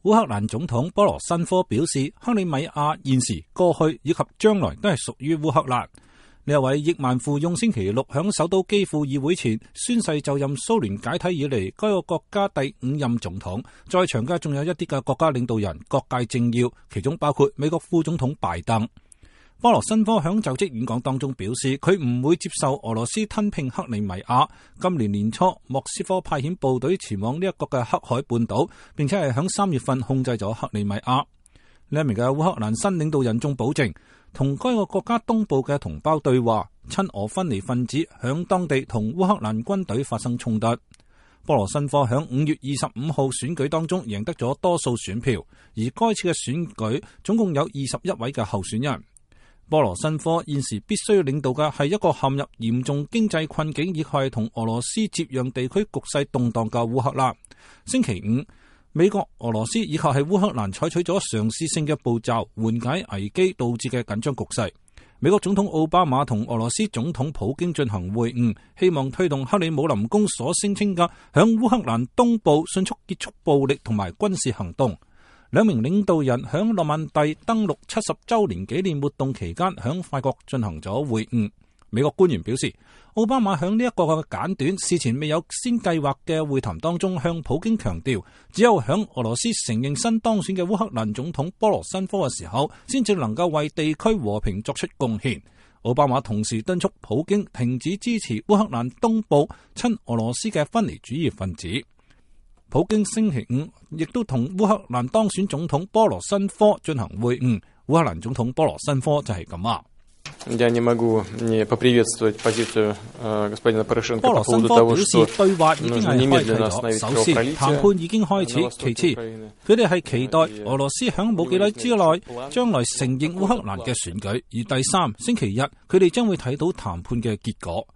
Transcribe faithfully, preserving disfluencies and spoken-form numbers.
烏克蘭總統波羅申科表示，克里米亞現時、過去以及將來都係屬於烏克蘭。呢一位億萬富翁星期六響首都基輔議會前宣誓就任蘇聯解體以嚟該個國家第五任總統，在場嘅仲有一啲嘅國家領導人、各界政要，其中包括美國副總統拜登。波羅申科響就職演講當中表示，佢唔會接受俄羅斯吞併克里米亞。今年年初，莫斯科派遣部隊前往呢一個嘅黑海半島，並且係響三月份控制咗克里米亞。呢一名嘅烏克蘭新領導人仲保證，同該個國家東部嘅同胞對話。親俄分離分子響當地同烏克蘭軍隊發生衝突。波羅申科響五月二十五號選舉當中贏得咗多數選票，而該次嘅選舉總共有二十一位嘅候選人。波羅申科現時必須要領導嘅係一個陷入嚴重經濟困境，以及係同俄羅斯接壤地區局勢動盪嘅烏克蘭。星期五，美國、俄羅斯以及係烏克蘭採取咗嘗試性嘅步驟，緩解危機導致嘅緊張局勢。美國總統奧巴馬同俄羅斯總統普京進行會晤，希望推動克里姆林宮所聲稱嘅響烏克蘭東部迅速結束暴力同埋軍事行動。兩名領導人響諾曼第登陸七十周年紀念活動期間響法國進行咗會晤。美國官員表示，奧巴馬響呢一個嘅簡短、事前未有先計劃嘅會談當中向普京強調，只有響俄羅斯承認新當選嘅烏克蘭總統波羅申科嘅時候，先至能夠為地區和平作出貢獻。奧巴馬同時敦促普京停止支持烏克蘭東部親俄羅斯嘅分離主義分子。普京星期五亦都同烏克蘭當選總統波羅申科進行會晤。烏克蘭總統波羅申科就係咁啊。Я не могу не поприветствовать позицию господина Порошенко波羅 по 申 поводу 科 того, 表示 что 對話已經 нужно 係開啟 немедленно 咗， остановить 首先 кровопролитие 談判已經開 на 始， востоке 其次 Украины. 佢哋係期待俄羅斯響冇幾耐之內將來承認烏克蘭嘅選舉，而第三星期日佢哋將會睇到談判嘅結果。